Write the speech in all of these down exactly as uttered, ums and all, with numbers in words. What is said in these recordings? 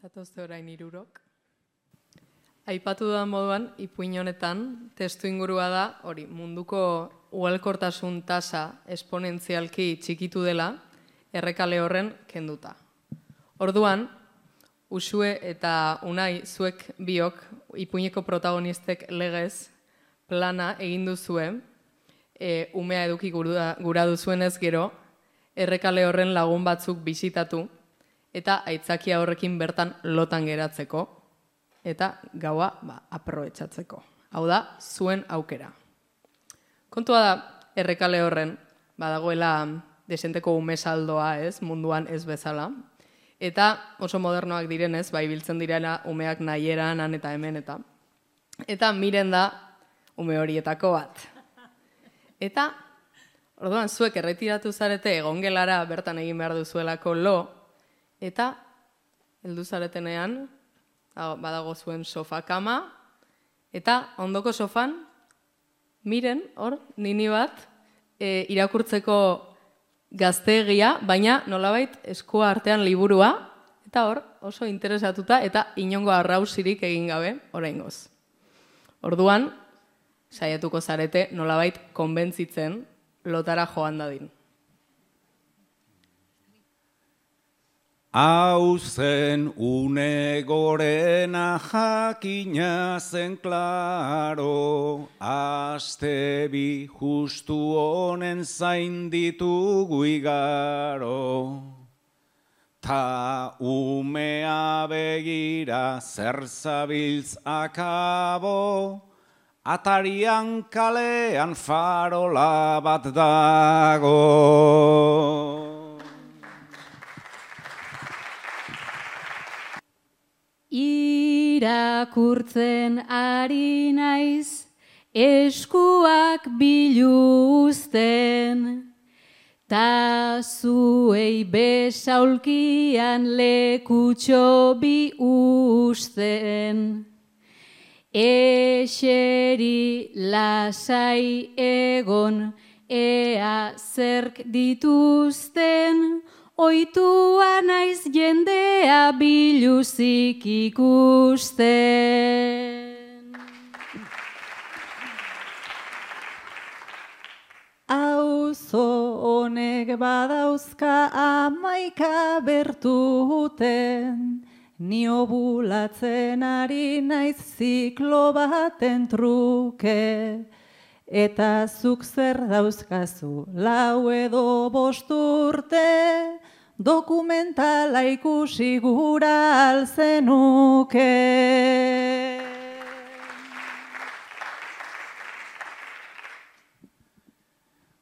Zatozte orain hirurok. Aipatu dudan moduan, ipuin honetan, testu ingurua da, hori, munduko ugalkortasun tasa esponentzialki txikitu dela, errekale horren kenduta. Orduan, Uxue eta Unai zuek biok, ipuineko protagonistek legez, plana egin duzue, e, umea eduki gura, gura duzuenez gero, errekale horren lagun batzuk bisitatu, eta aitzakia horrekin bertan lotan geratzeko, eta gaua ba, aprobetxatzeko. Hau da, zuen aukera. Kontua da, errekale horren, badagoela desenteko ume saldoa, ez, munduan ez bezala, eta oso modernoak direnez, bai biltzen direla umeak nahieran, han eta hemen, eta eta miren da ume horietako bat. Eta, orduan, zuek erretiratu zarete egongelara bertan egin behar duzuelako lo, eta heldu zaretenean, badago zuen sofa kama, eta ondoko sofan, miren, hor, nini bat, e, irakurtzeko gazteegia, baina nolabait eskua artean liburua, eta hor, oso interesatuta, eta inongo arrausirik egin gabe, oraingoz. Orduan, saiatuko zarete nolabait konbentzitzen lotara joan dadin. Hau zen une gorena jakina zen klaro, aste bi justu honen zain ditugu igaro. Ta umea begira zer zabiltz akabo, atarian kalean farola bat dago. Irakurtzen ari naiz, eskuak biluzten, ta zuei besaulkian lekutxo bi usten. Eseri lasai egon, ea zerk dituzten, oitua naiz jendea biluzik ikusten. Auzo honek badauzka amaika bertuten, ni obulatzen ari naiz ziklo baten truke, eta zuk zer dauzkazu lau edo bost urte, dokumentala ikusi gura alzenuke.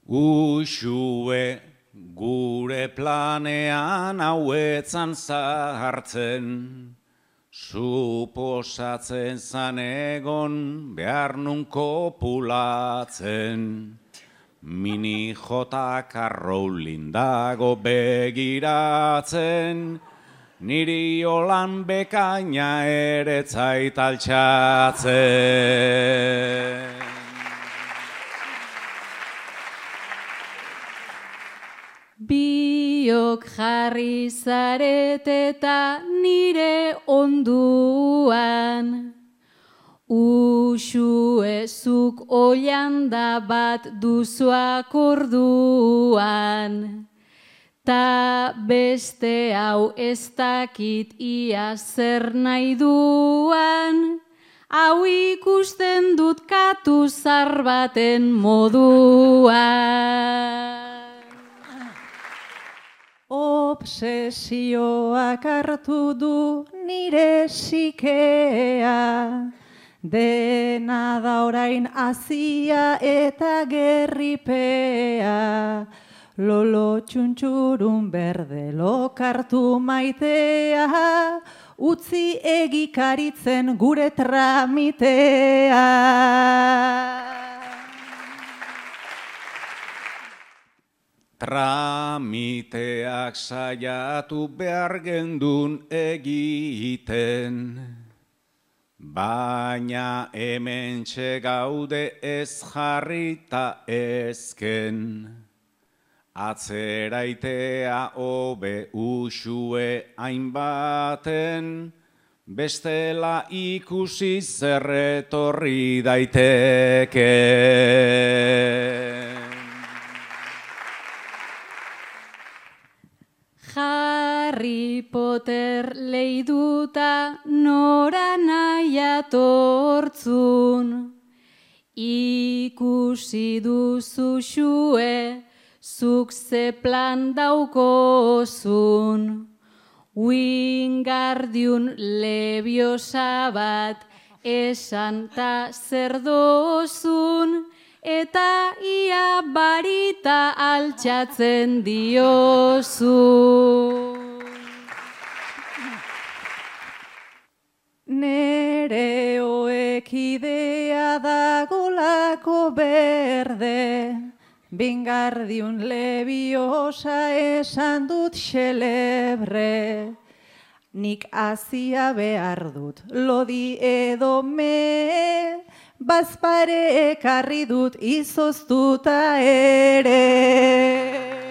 Uxue gure planean hauetzan zahartzen, suposatzen zan egon behar nun kopulatzen. Mini jotak arroulin dago begiratzen, niri holan bekaina ere zait altxatzen. Biok jarri zarete eta nire onduan, Uxue zuk oianda bat duzuak orduan, ta beste hau ez dakit ia zer nahi duan, hau ikusten dut katu zar baten moduan. Obsesioak hartu du nire sikea, dena da orain azia eta gerripea, lolo txuntxurun berde lokartu maitea, utzi egikaritzen gure tramitea. Tramiteak saiatu behar gendun egiten, baina hementxe gaude ez jarrita ezken. Atzeraitea hobe usue hainbaten, bestela ikusi zerretorri daiteke. Harry Potter leiduta nora nahi atortzun, ikusi duzu xue, zuk ze plan daukozun. Wingardium Leviosa bat esan ta zer dozun, eta ia barita altxatzen diozu. Nere oekidea dagolako berde, Wingardium Leviosa esan dut xelebre. Nik azia behar dut, lodi edo me, bazpare ekarri dut izoztuta ere.